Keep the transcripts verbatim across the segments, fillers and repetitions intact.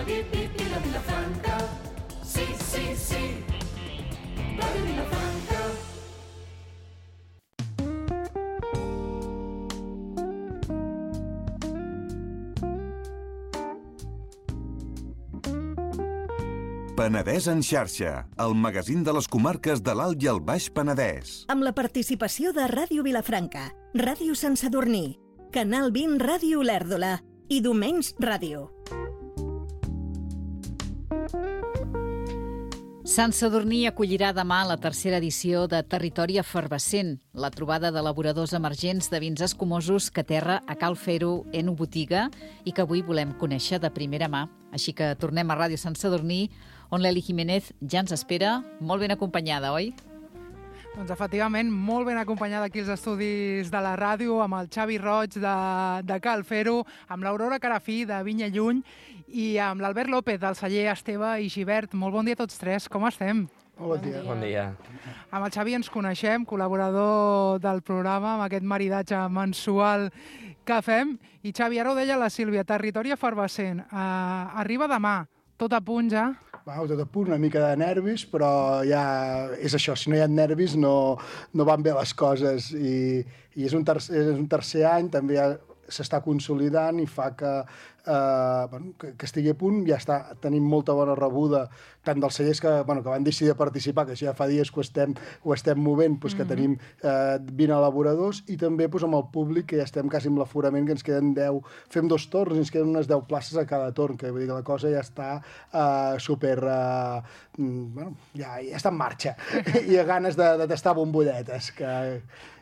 Ràdio Vilafranca. Sí, sí, sí. Ràdio Vilafranca. Penedès en xarxa, el magazín de les comarques de l'Alt i el Baix Penedès. Amb la participació de Ràdio Vilafranca, Ràdio Sant Sadurní, Canal vint Ràdio Olèrdola i Domenys Ràdio. Sant Sadurní acollirà demà la tercera edició de Territori Efervescent, la trobada d'elaboradors emergents de vins escumosos que aterra a Cal Fer-ho en Botiga i que avui volem conèixer de primera mà. Així que tornem a Ràdio Sant Sadurní, on l'Eli Jiménez ja ens espera, molt ben acompanyada, oi? Doncs efectivament, molt ben acompanyada aquí als estudis de la ràdio, amb el Xavi Roig de, de Cal Fer-ho, amb l'Aurora Carafí de Vinya Lluny i amb l'Albert López del celler Esteve i Gibert. Molt bon dia a tots tres, com estem? Bon dia. Bon dia. Amb el Xavi ens coneixem, col·laborador del programa, amb aquest maridatge mensual que fem. I Xavi, ara ho deia la Sílvia, Territori Efervescent. Uh, arriba demà, tot a punt ja? Wow, tot a punt, una mica de nervis, però ja és això, si no hi ha nervis no, no van bé les coses. I, i és, un tercer, és un tercer any, també ja s'està consolidant i fa que, eh, bueno, que, que estigui a punt. Ja està, tenim molta bona rebuda, tant dels cellers que, bueno, que van decidir participar, que ja fa dies que ho estem, ho estem movent, doncs, que mm-hmm. tenim eh, vint elaboradors, i també doncs, amb el públic, que ja estem quasi amb l'aforament, que ens queden deu, fem dos torns i ens queden unes deu places a cada torn, que vull dir que la cosa ja està eh, super... Eh, bueno, ja, ja està en marxa. I a ganes de, de tastar bombolletes. Que...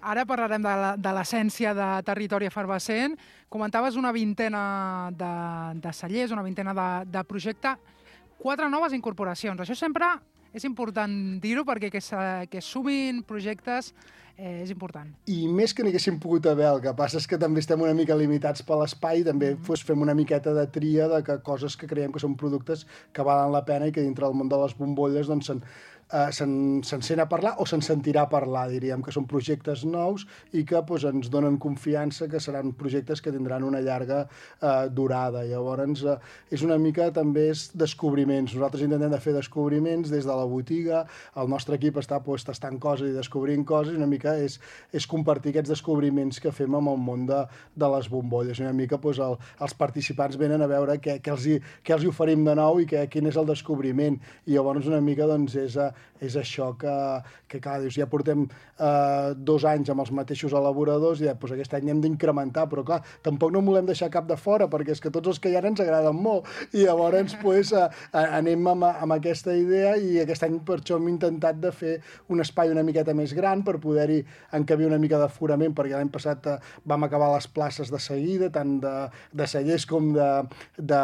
Ara parlarem de l'essència de Territori Efervescent. Comentaves una vintena de, de cellers, una vintena de, de projecte, quatre noves incorporacions. Això sempre és important dir-ho perquè que, que sumin projectes eh, és important. I més que n'haguéssim pogut haver, el que passa és que també estem una mica limitats per l'espai, també mm-hmm. pues, fem una miqueta de tria de que coses que creiem que són productes que valen la pena i que dintre del món de les bombolles doncs, se'n Uh, se'n se sent a parlar o se'n sentirà a parlar, diríem, que són projectes nous i que pues, ens donen confiança que seran projectes que tindran una llarga uh, durada. Llavors, uh, és una mica també és descobriments. Nosaltres intentem de fer descobriments des de la botiga, el nostre equip està pues, tastant coses i descobrint coses, i una mica és, és compartir aquests descobriments que fem amb el món de, de les bombolles. Una mica pues, el, els participants venen a veure què, què, els, hi, què els hi oferim de nou i què, quin és el descobriment. I llavors una mica doncs, és... Uh, és això que, que clar, dius, ja portem eh, dos anys amb els mateixos elaboradors i ja, doncs, aquest any hem d'incrementar, però clar, tampoc no volem deixar cap de fora, perquè és que tots els que hi ha ens agraden molt, i llavors pues, eh, anem amb, amb aquesta idea, i aquest any per això hem intentat de fer un espai una miqueta més gran per poder-hi encabir una mica d'aforament, perquè l'any passat eh, vam acabar les places de seguida, tant de, de cellers com de, de,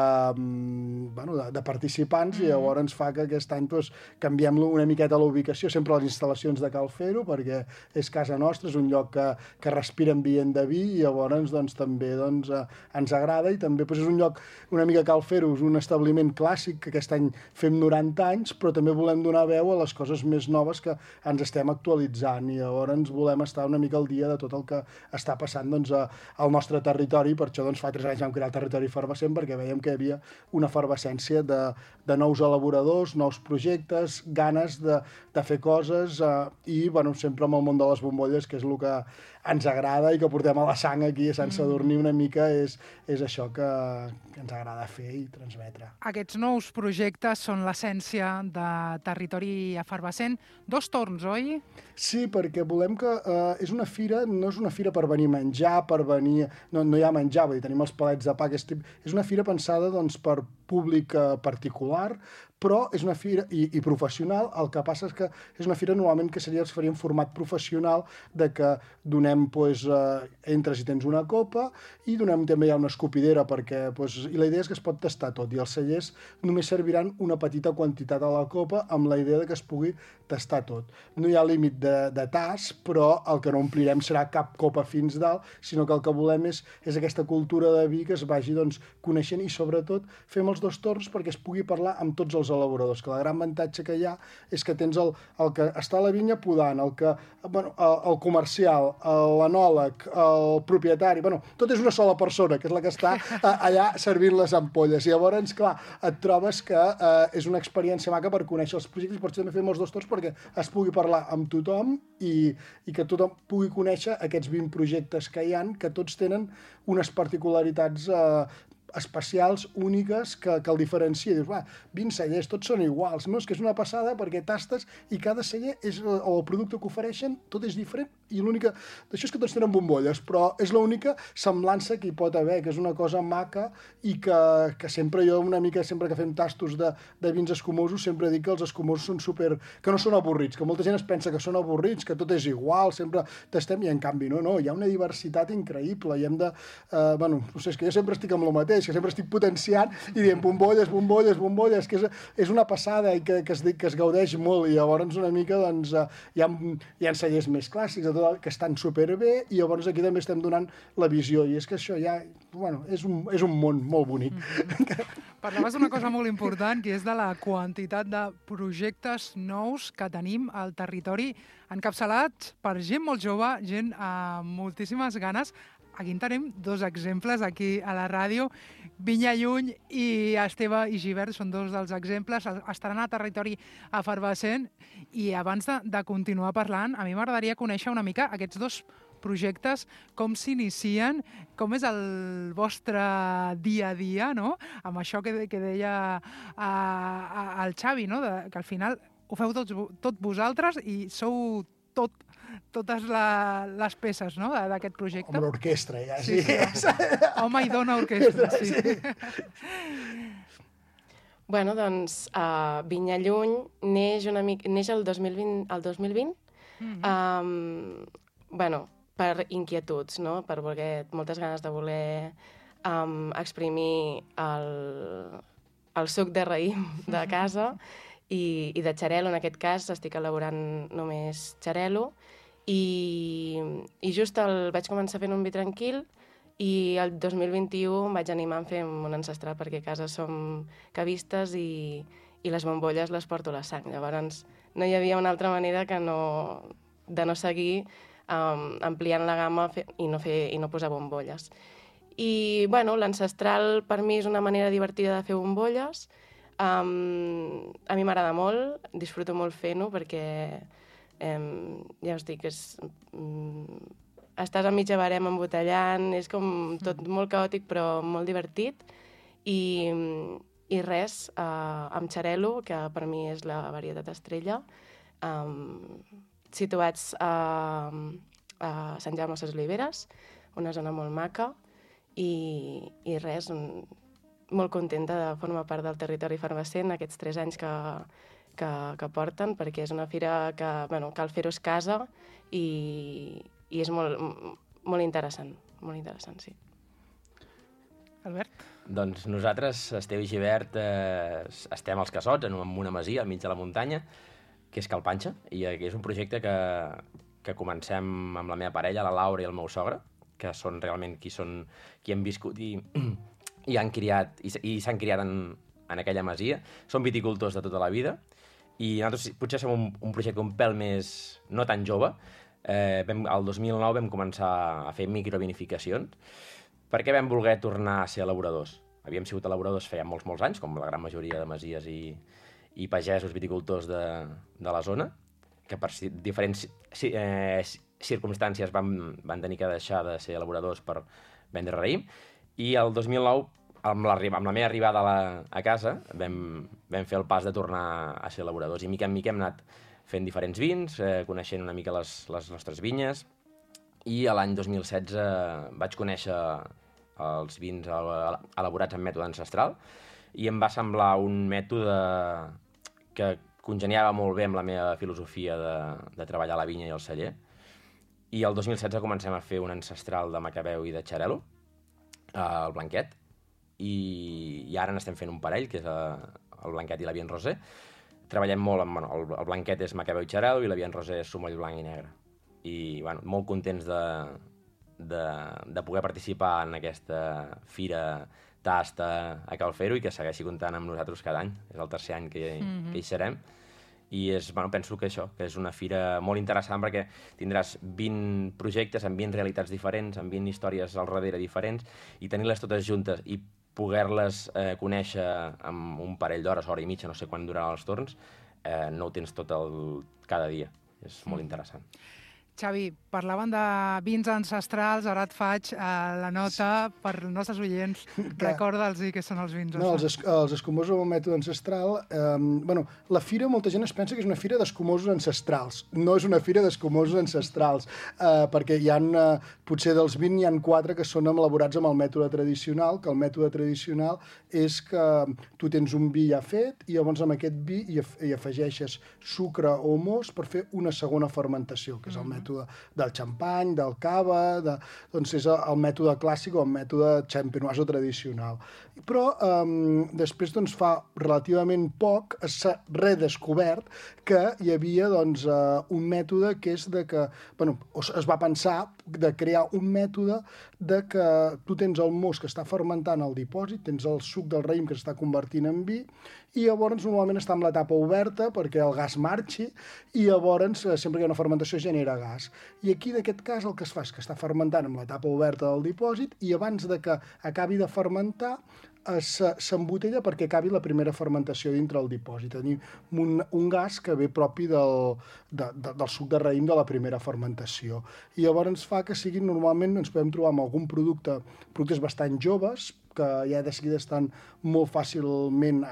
bueno, de, de participants, mm-hmm. i llavors ens fa que aquest any pues, canviem-lo una miqueta la ubicació, sempre a les instal·lacions de Cal Fer-ho, perquè és casa nostra, és un lloc que, que respira ambient de vi, i llavors doncs, també doncs, eh, ens agrada, i també doncs, és un lloc, una mica Cal Fer-ho, és un establiment clàssic, que aquest any fem noranta anys, però també volem donar veu a les coses més noves que ens estem actualitzant, i llavors volem estar una mica al dia de tot el que està passant doncs, a, al nostre territori. Per això doncs, fa tres anys vam crear el Territori Efervescent, perquè veiem que hi havia una efervescència de, de nous elaboradors, nous projectes, ganes de, de fer coses eh, i bueno, sempre amb el món de les bombolles, que és el que ens agrada i que portem a la sang aquí a Sant Sadurní una mica, és, és això que, que ens agrada fer i transmetre. Aquests nous projectes són l'essència de Territori Efervescent. Dos torns, oi? Sí, perquè volem que eh, és una fira, no és una fira per venir a menjar, per venir... No, no hi ha menjar, vull dir, tenim els palets de pa, aquest tip... és una fira pensada doncs, per públic eh, particular, però és una fira i, i professional. El que passa és que és una fira normalment que seria, es faria en format professional, de que donem, pues, eh, entres i tens una copa, i donem també ja una escopidera, perquè, pues, i la idea és que es pot tastar tot, i els cellers només serviran una petita quantitat a la copa amb la idea de que es pugui tastar tot. No hi ha límit de, de tas, però el que no omplirem serà cap copa fins dalt, sinó que el que volem és, és aquesta cultura de vi que es vagi doncs, coneixent, i sobretot fem els dos torns perquè es pugui parlar amb tots els elaboradors, que el gran avantatge que hi ha és que tens el, el que està a la vinya podant, el, que, bueno, el, el comercial, el, l'anòleg, el propietari, bueno, tot és una sola persona, que és la que està allà servint les ampolles. I llavors, clar, et trobes que eh, és una experiència maca per conèixer els projectes, per això també fem els dos torns perquè es pugui parlar amb tothom i, i que tothom pugui conèixer aquests vint projectes que hi han, que tots tenen unes particularitats eh, especials, úniques, que, que el diferencia. Dius, va, vint cellers, tots són iguals. No, és que és una passada perquè tastes i cada celler, és, o el producte que ofereixen, tot és diferent i l'única... D'això és que tots tenen bombolles, però és l'única semblança que hi pot haver, que és una cosa maca i que, que sempre jo, una mica, sempre que fem tastos de, de vins escumosos, sempre dic que els escumosos són super... que no són avorrits, que molta gent es pensa que són avorrits, que tot és igual, sempre tastem, i en canvi no, no, hi ha una diversitat increïble i hem de... Eh, bueno, no sé, és que jo sempre estic amb el mateix, que sempre estic potenciant i dient bombolles, bombolles, bombolles, que és, és una passada i que, que, es, que es gaudeix molt, i llavors una mica doncs, hi ha, hi ha cellers més clàssics de tot, que estan superbé, i llavors aquí també estem donant la visió, i és que això ja, bueno, és un, és un món molt bonic. Mm-hmm. Parlaves d'una cosa molt important, que és de la quantitat de projectes nous que tenim al territori, encapçalats per gent molt jove, gent amb moltíssimes ganes. Aquí en tenim dos exemples aquí a la ràdio. Vinya Lluny i Esteve i Givert són dos dels exemples. Estaran a territori efervescent. I abans de, de continuar parlant, a mi m'agradaria conèixer una mica aquests dos projectes, com s'inicien, com és el vostre dia a dia, no? Amb això que, que deia a, a, el Xavi, no? De, que al final ho feu tots, tot vosaltres i sou tot totes la, les peces, no?, d'aquest projecte. Home, l'orquestra, ja, sí. sí, sí. Home i dona orquestra, sí. sí. Bueno, doncs, uh, Vinya Lluny neix, una mica, neix el dos mil vint, el dos mil vint mm-hmm. um, bueno, per inquietuds, no?, per voler, moltes ganes de voler um, exprimir el, el suc de raïm de casa i, i de xarel·lo, en aquest cas estic elaborant només xarel·lo. I, i just el vaig començar fent un vi tranquil i el dos mil vint-i-u em vaig animar a fer un ancestral perquè a casa som cavistes i, i les bombolles les porto a la sang. Llavors no hi havia una altra manera que no, de no seguir um, ampliant la gamma fe, i, no fer, i no posar bombolles. I bueno, l'ancestral per mi és una manera divertida de fer bombolles. Um, a mi m'agrada molt, disfruto molt fent-ho perquè Um, ja us dic, és, um, estàs a mitja barem embotellant, és com tot molt caòtic però molt divertit i, i res, uh, amb xarel·lo, que per mi és la varietat estrella, um, situats a, a Sant Jaume de les Oliveres, una zona molt maca i, i res, un, molt contenta de formar part del territori efervescent aquests tres anys que Que, que porten, perquè és una fira que, bueno, cal fer-ho a casa i, i és molt, molt interessant, molt interessant, sí. Albert? Doncs nosaltres, Esteve i Givert, eh, estem als Cassots, en una masia al mig de la muntanya, que és Cal Panxa, i és un projecte que, que comencem amb la meva parella, la Laura i el meu sogre, que són realment qui, són, qui han viscut i, i han criat, i, i s'han criat en, en aquella masia. Són viticultors de tota la vida, i nosaltres potser som un, un projecte un pèl més no tan jove. Eh, vam, el dos mil nou vam començar a fer microvinificacions perquè vam voler tornar a ser elaboradors. Havíem sigut elaboradors feia molts, molts anys, com la gran majoria de masies i, i pagesos viticultors de, de la zona, que per si, diferents si, eh, circumstàncies van, van tenir que deixar de ser elaboradors per vendre raïm. I el dos mil nou, amb la, amb la meva arribada a, la, a casa, vam, vam fer el pas de tornar a ser elaboradors. I mica en mica hem anat fent diferents vins, eh, coneixent una mica les, les nostres vinyes, i a l'any dos mil setze vaig conèixer els vins elaborats en mètode ancestral, i em va semblar un mètode que congeniava molt bé amb la meva filosofia de, de treballar la vinya i el celler. I el dos mil setze comencem a fer un ancestral de Macabeu i de xarel·lo, el blanquet, i, i ara n'estem fent un parell, que és el blanquet i la Bien Rosé. Treballem molt amb... Bueno, el, el blanquet és Macabeu i xarel·lo i la Bien Rosé és sumoll blanc i negre. I bueno, molt contents de, de, de poder participar en aquesta fira tast a, a Cal Fero i que segueixi comptant amb nosaltres cada any. És el tercer any que, mm-hmm. que hi serem. I és, bueno, penso que això, que és una fira molt interessant perquè tindràs vint projectes amb vint realitats diferents, amb vint històries al darrere diferents, i tenir-les totes juntes i poder-les eh, conèixer amb un parell d'hores, hora i mitja, no sé quan duraran els torns, eh, no ho tens tot el, cada dia. És molt interessant. Xavi, parlaven de vins ancestrals, ara et faig eh, la nota per als nostres oients. Recorda'ls què són els vins. No, els, es, els escumosos amb el mètode ancestral... Eh, bueno, la fira, molta gent es pensa que és una fira d'escumosos ancestrals. No és una fira d'escumosos ancestrals, eh, perquè hi ha, eh, potser dels vint, hi ha quatre que són elaborats amb el mètode tradicional, que el mètode tradicional és que tu tens un vi ja fet i llavors amb aquest vi hi, af hi afegeixes sucre o most per fer una segona fermentació, que és el mètode del xampany, del cava, de, doncs és el mètode clàssic o el mètode champenoise o tradicional. Però eh, després, doncs, fa relativament poc s'ha redescobert que hi havia doncs, eh, un mètode que és de que, bueno, es va pensar de crear un mètode de que tu tens el most que està fermentant al dipòsit, tens el suc del raïm que s'està convertint en vi, i llavors normalment està en l'etapa oberta perquè el gas marxi i llavors sempre que hi ha una fermentació genera gas. I aquí en aquest cas el que es fa és que està fermentant en l'etapa oberta del dipòsit i abans de que acabi de fermentar s'embotella perquè acabi la primera fermentació dintre del dipòsit. Tenim un, un gas que ve propi del, de, de, del suc de raïm de la primera fermentació. I llavors ens fa que siguin, normalment ens podem trobar amb algun producte, productes bastant joves, que ja de seguida estan molt fàcilment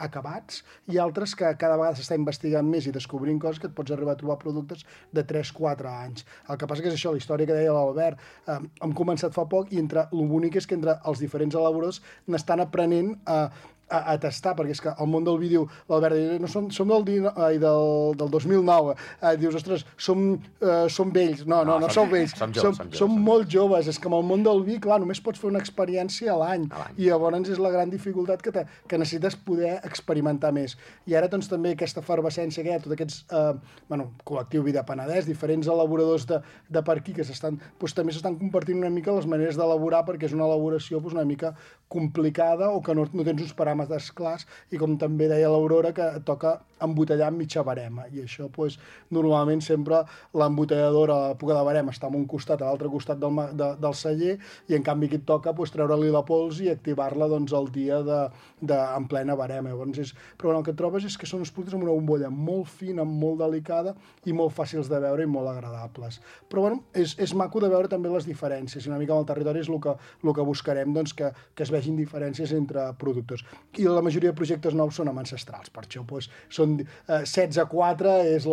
acabats, i altres que cada vegada s'està investigant més i descobrint coses que et pots arribar a trobar productes de tres quatre anys. El que passa que és això, la història que deia l'Albert, eh, hem començat fa poc i entre, el bonic és que entre els diferents elaboradors n'estan aprenent a A, a tastar, perquè és que el món del vi diu, l'Albert, no, som, som del, ai, del, del dos mil nou, eh, dius, ostres, som, eh, som vells. No, no, no, no som vells, som, joves, som, som, joves, som molt joves. És que amb el món del vi, clar, només pots fer una experiència a l'any, i llavors és la gran dificultat que, te, que necessites poder experimentar més. I ara, doncs, també aquesta efervescència que hi ha, tots aquests, eh, bueno, col·lectiu Vi de Penedès, diferents elaboradors de, de per aquí, que s'estan, doncs, també s'estan compartint una mica les maneres d'elaborar, perquè és una elaboració doncs, una mica complicada o que no, no tens uns paràmetres clars, i com també deia l'Aurora, que toca embotellar amb mitja barema, i això doncs, normalment sempre l'embotelladora a l'època de barema està en un costat, a l'altre costat del, de, del celler, i en canvi aquí et toca doncs, treure-li la pols i activar-la doncs, el dia de, de, en plena barema. Llavors és, però bueno, el que et trobes és que són uns productes amb una bombolla molt fina, molt delicada i molt fàcils de veure i molt agradables. Però bueno, és, és maco de veure també les diferències, i una mica amb el territori és el que, el que buscarem, doncs, que, que es vegin diferències entre productors. I la majoria de projectes nous són amb ancestrals, per això doncs, són eh, setze a quatre és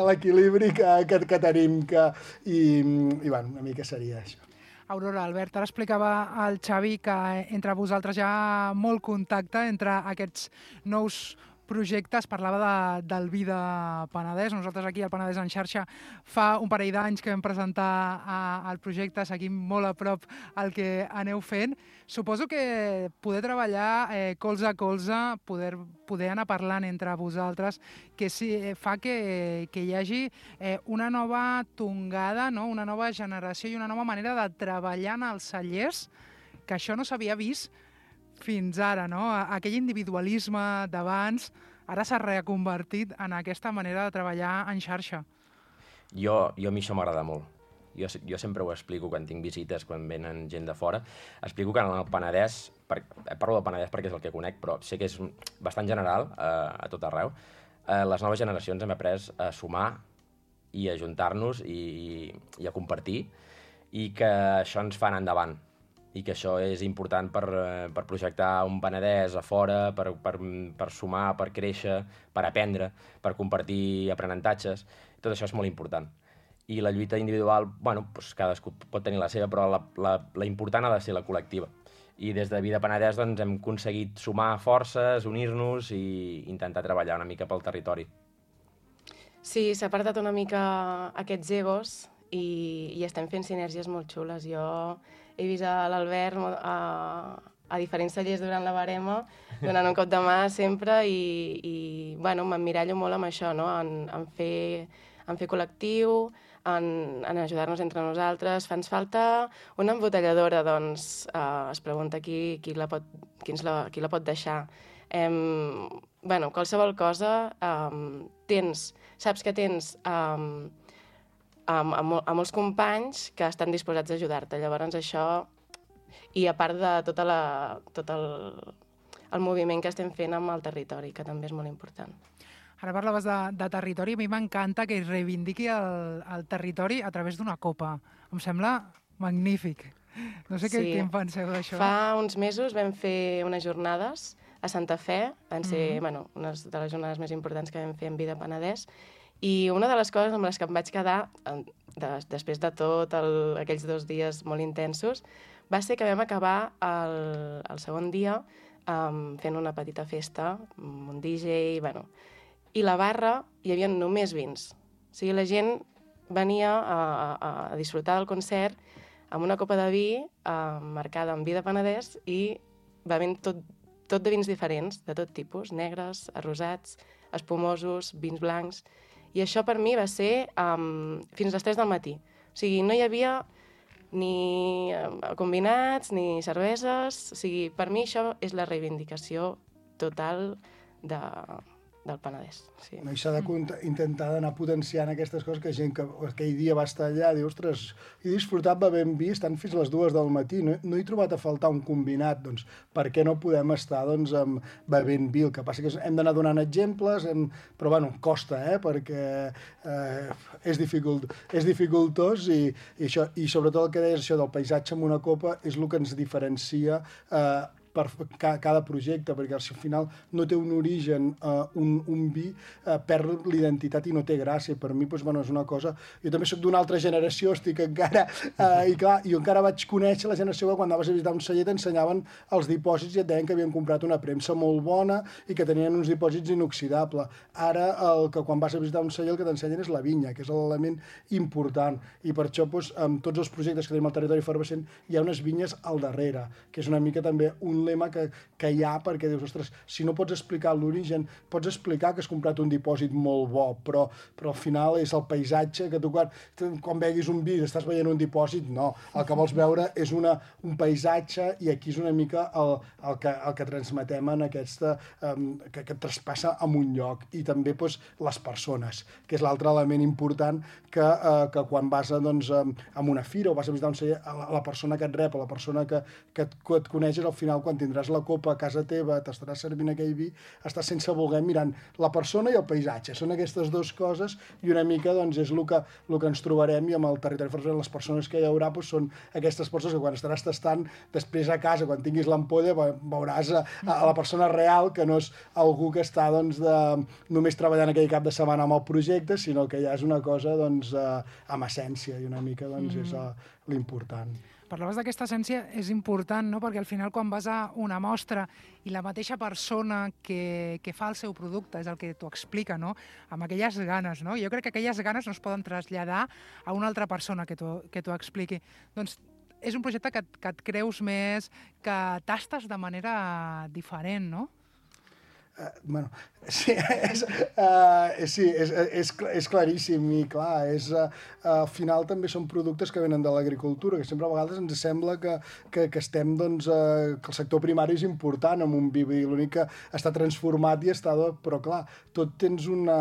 l'equilibri que, que, que tenim, que, i, i bueno, una mica seria això. Aurora, Albert, ara explicava al Xavi que entre vosaltres hi ha molt contacte entre aquests nous projectes, parlava de, del vi de Penedès. Nosaltres aquí al Penedès en xarxa fa un parell d'anys que vam presentar a, el projecte, seguim molt a prop el que aneu fent. Suposo que poder treballar eh, colze a colze, poder, poder anar parlant entre vosaltres, que sí, fa que, que hi hagi eh, una nova tongada, no? Una nova generació i una nova manera de treballar en els cellers, que això no s'havia vist fins ara, no? Aquell individualisme d'abans ara s'ha reconvertit en aquesta manera de treballar en xarxa. Jo, jo a mi això m'agrada molt. Jo, jo sempre ho explico quan tinc visites, quan venen gent de fora. Explico que en el Penedès, per, parlo del Penedès perquè és el que conec, però sé que és bastant general eh, a tot arreu. Eh, les noves generacions hem après a sumar i a juntar-nos i, i a compartir, i que això ens fa anar endavant, i que això és important per, per projectar un Penedès a fora, per, per, per sumar, per créixer, per aprendre, per compartir aprenentatges. Tot això és molt important. I la lluita individual, bueno, doncs cadascú pot tenir la seva, però la, la, la important ha de ser la col·lectiva. I des de Vi de Penedès doncs, hem aconseguit sumar forces, unir-nos i intentar treballar una mica pel territori. Sí, s'ha apartat una mica aquests egos i, i estem fent sinergies molt xules. Jo he vist a l'Albert a, a diferents cellers durant la barema, donant un cop de mà sempre, i, i bueno, m'emmirallo molt amb això, no? en, en, fer, en fer col·lectiu, en, en ajudar-nos entre nosaltres. Fa ens falta una embotelladora, doncs eh, es pregunta qui, qui, la pot, qui, ens la, qui la pot deixar. Em, bueno, qualsevol cosa, um, tens, saps que tens um, um, a, a molts companys que estan disposats a ajudar-te. Llavors això, i a part de tota la, tot el, el moviment que estem fent amb el territori, que també és molt important. Ara parlaves de, de territori, a mi m'encanta que es reivindiqui el, el territori a través d'una copa. Em sembla magnífic. No sé sí. què, què en penseu d'això. Fa uns mesos vam fer unes jornades a Santa Fe, van ser Mm-hmm. bueno, unes de les jornades més importants que vam fer en Vida Penedès, i una de les coses amb les que em vaig quedar, de, després de tot el, aquells dos dies molt intensos, va ser que vam acabar el, el segon dia um, fent una petita festa, amb un D J, bueno, i la barra hi havia només vins. O sigui, la gent venia a, a, a disfrutar del concert amb una copa de vi uh, marcada en Vida Penedès i bevent tot, tot de vins diferents, de tot tipus, negres, arrosats, espumosos, vins blancs. I això per mi va ser um, fins a les tres del matí. O sigui, no hi havia ni combinats, ni cerveses. O sigui, per mi això és la reivindicació total de, del Penedès. Sí. No, i s'ha de intentar d'anar potenciant aquestes coses que gent que aquell dia va estar allà, diu, ostres, he disfrutat bevent vi, estan fins les dues del matí, no, no he trobat a faltar un combinat, doncs per què no podem estar doncs, amb, bevent vi? El que passa que hem d'anar donant exemples, hem, però bueno, costa, eh, perquè eh, és, dificult, és dificultós i, i, això, i sobretot el que deies, això del paisatge amb una copa és el que ens diferencia eh, per cada projecte, perquè al final no té un origen, uh, un, un vi, uh, perd l'identitat i no té gràcia. Per mi, doncs, bueno, és una cosa... Jo també soc d'una altra generació, estic encara... Uh, I clar, jo encara vaig conèixer la generació que quan anaves a visitar un celler t'ensenyaven els dipòsits i et deien que havien comprat una premsa molt bona i que tenien uns dipòsits inoxidables. Ara, el que quan vas a visitar un celler el que t'ensenyen és la vinya, que és l'element important. I per això, doncs, amb tots els projectes que tenim al territori efervescent, hi ha unes vinyes al darrere, que és una mica també un lema que, que hi ha, perquè dius, ostres, si no pots explicar l'origen, pots explicar que has comprat un dipòsit molt bo, però, però al final és el paisatge, que tu quan, quan beguis un vi estàs veient un dipòsit, no. El que vols veure és una, un paisatge i aquí és una mica el, el, que, el que transmetem en aquesta, um, que, que traspassa en un lloc. I també doncs, les persones, que és l'altre element important que, uh, que quan vas a, doncs, um, a una fira o vas a visitar un celler, la, la persona que et rep, la persona que, que, et, que et coneixes, al final quan tindràs la copa a casa teva, t'estaràs servint aquell vi, estàs sense voler mirant la persona i el paisatge. Són aquestes dues coses i una mica doncs, és el que, el que ens trobarem i amb el territori efervescent les persones que hi haurà doncs, són aquestes persones que quan estaràs tastant després a casa, quan tinguis l'ampolla, veuràs a, a la persona real que no és algú que està doncs, de, només treballant aquell cap de setmana amb el projecte, sinó que ja és una cosa doncs, amb essència i una mica doncs, és l'important. Parlaves d'aquesta essència, és important, no? Perquè al final quan vas a una mostra i la mateixa persona que, que fa el seu producte és el que t'ho explica, no? Amb aquelles ganes, no? Jo crec que aquelles ganes no es poden traslladar a una altra persona que t'ho expliqui. Doncs és un projecte que, que et creus més, que tastes de manera diferent, no? Uh, bueno, sí, és, uh, sí és, és, és claríssim i clar, és, uh, al final també són productes que venen de l'agricultura, que sempre a vegades ens sembla que, que, que estem, doncs, uh, que el sector primari és important amb un vi, l'únic que està transformat i està, però clar, tot tens una...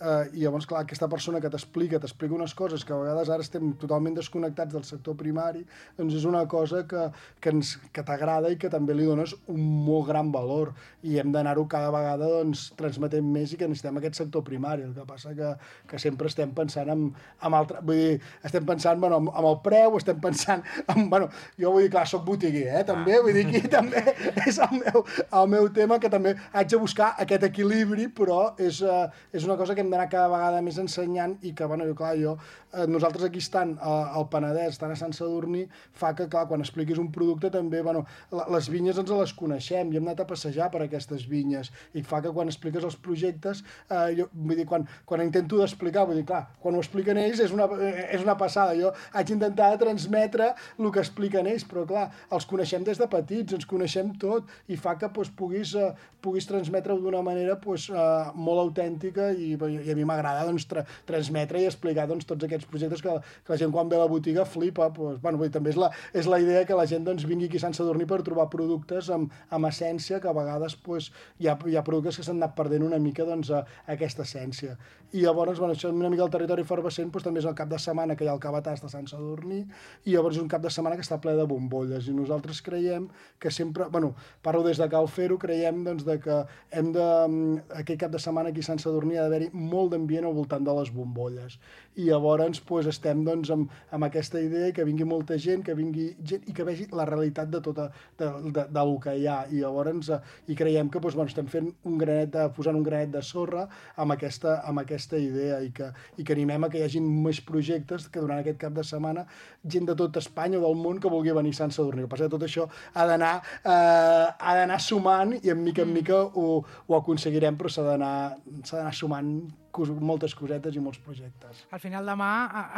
Uh, i llavors, clar, aquesta persona que t'explica, t'explica unes coses que a vegades ara estem totalment desconnectats del sector primari, doncs és una cosa que, que, ens, que t'agrada i que també li dones un molt gran valor i hem d'anar-ho cada vegada doncs, transmetent més i que necessitem aquest sector primari. El que passa que, que sempre estem pensant en, en altre... Vull dir, estem pensant bueno, en, en el preu, estem pensant en... Bueno, jo vull dir, clar, soc botiguer, eh, també, vull dir, aquí també és el meu, el meu tema, que també haig de buscar aquest equilibri, però és, uh, és una cosa que hem d'anar cada vegada més ensenyant i que, bueno, jo, clar, jo, eh, nosaltres aquí estant eh, al Penedès, estant a Sant Sadurní, fa que, clar, quan expliquis un producte també, bueno, la, les vinyes ens les coneixem i hem anat a passejar per aquestes vinyes i fa que quan expliques els projectes, eh, jo, vull dir, quan, quan intento d'explicar, vull dir, clar, quan ho expliquen ells és una, és una passada, jo haig d'intentar transmetre el que expliquen ells, però clar, els coneixem des de petits, ens coneixem tot, i fa que doncs, puguis, eh, puguis transmetre-ho d'una manera doncs, eh, molt autèntica, i, i a mi m'agrada doncs, tra transmetre i explicar doncs, tots aquests projectes que, que la gent quan ve a la botiga flipa. Doncs, bueno, vull dir, també és la, és la idea que la gent doncs, vingui aquí a Sant Sadurní per trobar productes amb, amb essència, que a vegades doncs, hi, ha, hi ha productes que s'han anat perdent una mica doncs, a, a aquesta essència. I llavors, bueno, això una mica el territori efervescent doncs, també és el cap de setmana que hi ha el Cabàs de Sant Sadurní, i llavors és un cap de setmana que està ple de bombolles, i nosaltres creiem que sempre, bueno, parlo des de Cal Fer-ho, creiem doncs, de que hem de, aquest cap de setmana aquí a Sant Sadurní ha d'haver-hi molt d'ambient al voltant de les bombolles. I llavors doncs, estem doncs, amb, amb aquesta idea que vingui molta gent, que vingui gent i que vegi la realitat de tota, de, de, de lo que hi ha. I llavors eh, i creiem que doncs, bueno, estem fent un granet de, posant un granet de sorra amb aquesta, amb aquesta idea i que, i que animem a que hi hagi més projectes que durant aquest cap de setmana gent de tot Espanya o del món que vulgui venir a Sant Sadurní. El que passa que tot això ha d'anar eh, ha d'anar sumant i en mica en mica ho, ho aconseguirem, però s'ha d'anar sumant moltes cosetes i molts projectes. Al final demà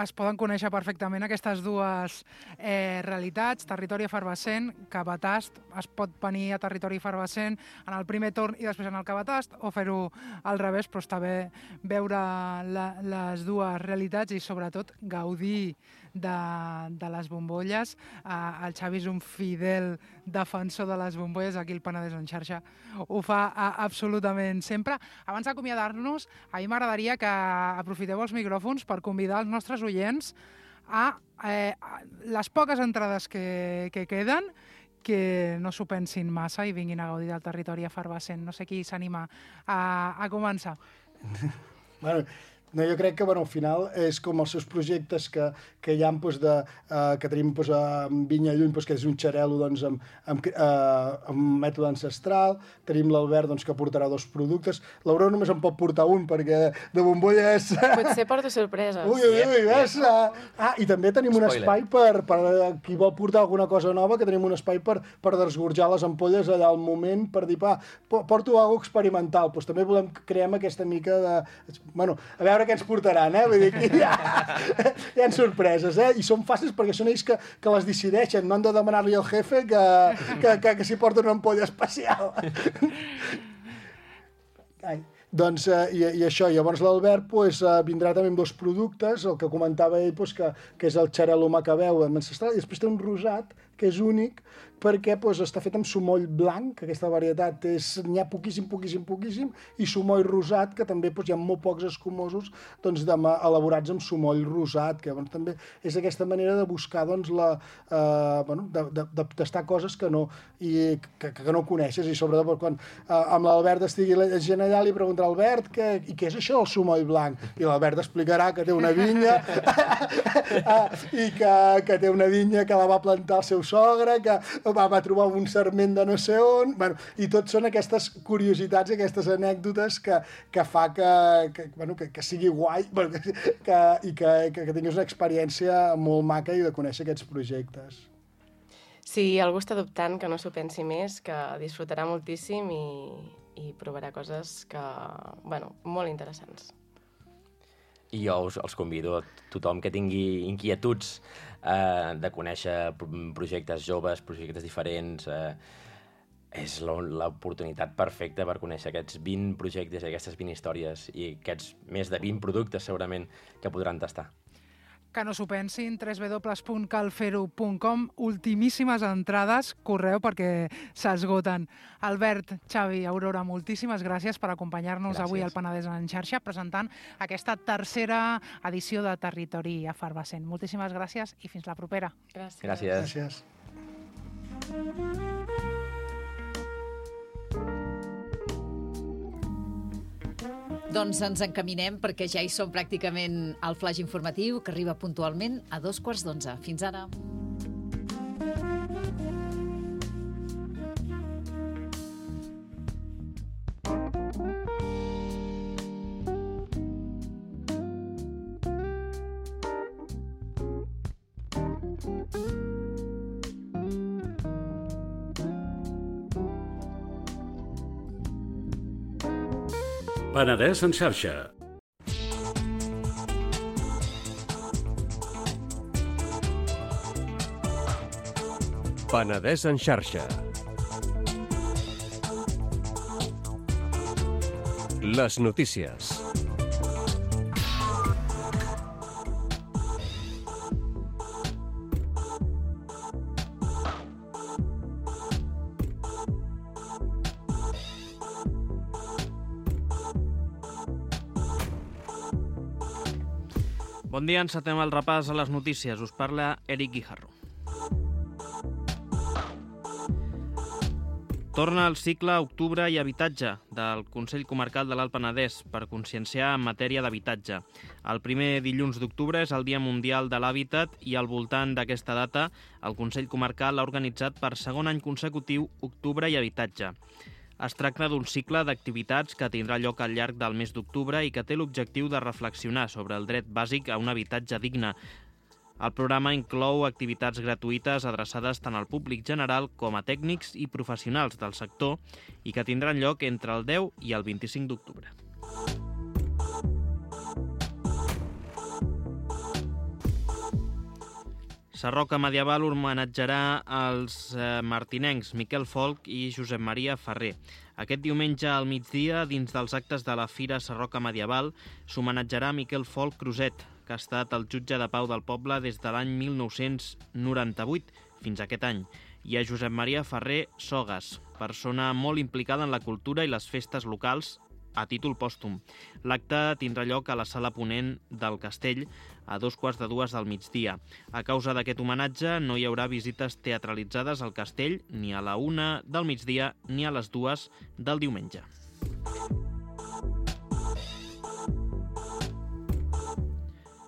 es poden conèixer perfectament aquestes dues eh, realitats, territori efervescent, Cabatast, es pot venir a territori efervescent en el primer torn i després en el Cabatast, o fer-ho al revés, però està bé veure la, les dues realitats i sobretot gaudir de, de les bombolles. Eh, el Xavi és un fidel defensor de les bombolles, aquí el Penedès en xarxa ho fa a, absolutament sempre. Abans d'acomiadar-nos, a mi m'agradaria que aprofiteu els micròfons per convidar els nostres oients a, eh, a les poques entrades que, que queden, que no s'ho pensin massa i vinguin a gaudir del territori efervescent. No sé qui s'anima a, a començar. Bueno, no, jo crec que bueno, al final és com els seus projectes que, que hi ha doncs, de, uh, que tenim doncs, a Vinya Lluny, doncs, que és un xarel·lo doncs, amb, amb, uh, amb mètode ancestral. Tenim l'Albert doncs, que portarà dos productes. L'Aurora només en pot portar un perquè de bombolles... Potser porto sorpreses. Ui, ui, ui, ves! Ah, i també tenim un espai per, per qui vol portar alguna cosa nova, que tenim un espai per, per desgorjar les ampolles allà al moment, per dir, pa, porto alguna cosa experimental. Doncs també volem crear aquesta mica de... Bueno, a veure què ens portaran, eh? Vull dir, aquí hi ha, hi ha sorpreses, eh? I són fàcils perquè són ells que, que les decideixen, no han de demanar-li al jefe que, que, que, que s'hi porta una ampolla especial. Ai. Doncs, eh, i, i això, llavors l'Albert pues, eh, vindrà també amb dos productes, el que comentava ell, pues, que, que és el xarel·lo macabeu ancestral, i després té un rosat, que és únic, perquè pues, està fet amb sumoll blanc, que aquesta varietat n'hi ha poquíssim, poquíssim, poquíssim, i sumoll rosat, que també pues, hi ha molt pocs escumosos doncs, de, elaborats amb sumoll rosat, que doncs, també és aquesta manera de buscar doncs, la, eh, bueno, de, de, de tastar coses que no, i, que, que no coneixes, i sobretot quan eh, amb l'Albert estigui la gent allà, li preguntarà Albert, què, i què és això el sumoll blanc? I l'Albert explicarà que té una vinya i que, que té una vinya que la va plantar el seu sogre, que va, va trobar un sarment de no sé on, bueno, i tot són aquestes curiositats i aquestes anècdotes que, que fa que, que, bueno, que, que sigui guai, bueno, que, que, i que, que, que tinguis una experiència molt maca i de conèixer aquests projectes. Si algú està dubtant, que no s'ho pensi més, que disfrutarà moltíssim i, i provarà coses que, bueno, molt interessants. I jo us, els convido a tothom que tingui inquietuds eh, de conèixer projectes joves, projectes diferents. Eh, és l'oportunitat perfecta per conèixer aquests vint projectes i aquestes vint històries i aquests més de vint productes segurament que podran tastar. Que no s'ho pensin, w w w punt cal fer ho punt com, ultimíssimes entrades, correu perquè s'esgoten. Albert, Xavi, Aurora, moltíssimes gràcies per acompanyar-nos avui al Penedès en xarxa, presentant aquesta tercera edició de Territori Efervescent. Moltíssimes gràcies i fins la propera. Gràcies. Gràcies. Gràcies. Doncs ens encaminem perquè ja hi som pràcticament al flaix informatiu que arriba puntualment a dos quarts d'onze. Fins ara. Penedès en xarxa. Penedès en xarxa. Les notícies. Bon dia, encetem el repàs a les notícies. Us parla Eric Guijarro. Torna el cicle Octubre i Habitatge del Consell Comarcal de l'Alt Penedès per conscienciar en matèria d'habitatge. El primer dilluns d'octubre és el Dia Mundial de l'Hàbitat i al voltant d'aquesta data el Consell Comarcal ha organitzat per segon any consecutiu Octubre i Habitatge. Es tracta d'un cicle d'activitats que tindrà lloc al llarg del mes d'octubre i que té l'objectiu de reflexionar sobre el dret bàsic a un habitatge digne. El programa inclou activitats gratuïtes adreçades tant al públic general com a tècnics i professionals del sector i que tindran lloc entre el deu i el vint-i-cinc d'octubre. Sarroca Medieval homenatjarà els eh, martinencs Miquel Folch i Josep Maria Ferrer. Aquest diumenge al migdia, dins dels actes de la Fira Sarroca Medieval, s'homenatjarà Miquel Folch Cruzet, que ha estat el jutge de pau del poble des de l'any mil nou-cents noranta-vuit fins a aquest any, i a Josep Maria Ferrer Sogas, persona molt implicada en la cultura i les festes locals a títol pòstum. L'acte tindrà lloc a la sala ponent del Castell a dos quarts de dues del migdia. A causa d'aquest homenatge no hi haurà visites teatralitzades al castell ni a la una del migdia ni a les dues del diumenge.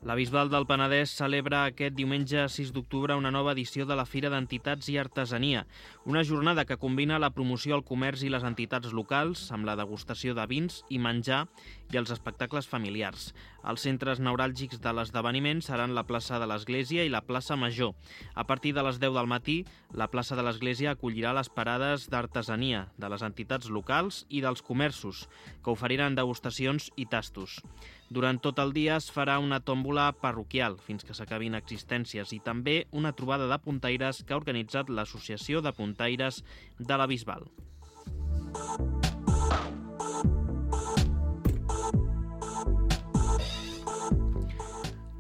La Bisbal del Penedès celebra aquest diumenge sis d'octubre una nova edició de la Fira d'Entitats i Artesania, una jornada que combina la promoció al comerç i les entitats locals amb la degustació de vins i menjar i els espectacles familiars. Els centres neuràlgics de l'esdeveniment seran la plaça de l'Església i la plaça Major. A partir de les deu del matí, la plaça de l'Església acollirà les parades d'artesania de les entitats locals i dels comerços, que oferiran degustacions i tastos. Durant tot el dia es farà una tòmbola parroquial fins que s'acabin existències i també una trobada de puntaires que ha organitzat l'Associació de Puntaires de la Bisbal.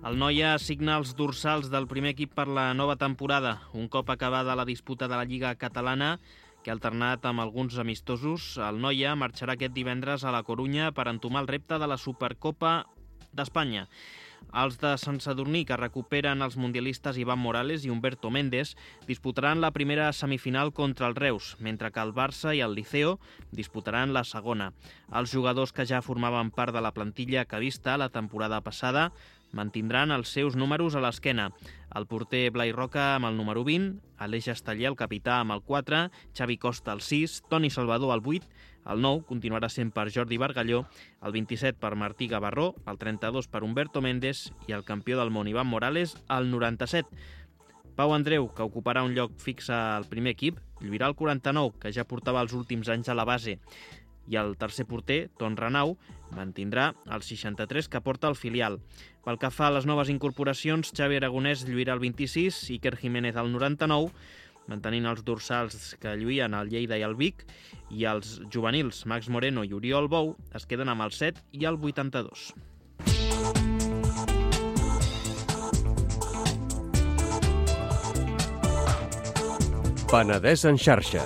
El Noia assigna els dorsals del primer equip per la nova temporada. Un cop acabada la disputa de la Lliga Catalana, que ha alternat amb alguns amistosos, el Noia marxarà aquest divendres a la Corunya per entomar el repte de la Supercopa d'Espanya. Els de Sant Sadurní, que recuperen els mundialistes Iván Morales i Humberto Méndez, disputaran la primera semifinal contra el Reus, mentre que el Barça i el Liceo disputaran la segona. Els jugadors que ja formaven part de la plantilla que vista la temporada passada mantindran els seus números a l'esquena. El porter Blai Roca amb el número vint, Aleix Esteller, el capità, amb el quatre, Xavi Costa, el sis, Toni Salvador, el vuit, el nou continuarà sent per Jordi Bargalló, el vint-i-set per Martí Gavarró, el trenta-dos per Humberto Méndez i el campió del món Iván Morales, el noranta-set. Pau Andreu, que ocuparà un lloc fix al primer equip, lluirà el quaranta-nou, que ja portava els últims anys a la base. I el tercer porter, Ton Renau, mantindrà el seixanta-tres que porta el filial. Pel que fa a les noves incorporacions, Xavi Aragonès lluirà el vint-i-sis, Iker Jiménez el noranta-nou, mantenint els dorsals que lluïen el Lleida i el Vic, i els juvenils Max Moreno i Oriol Bou es queden amb el set i el vuitanta-dos. Penedès en xarxa.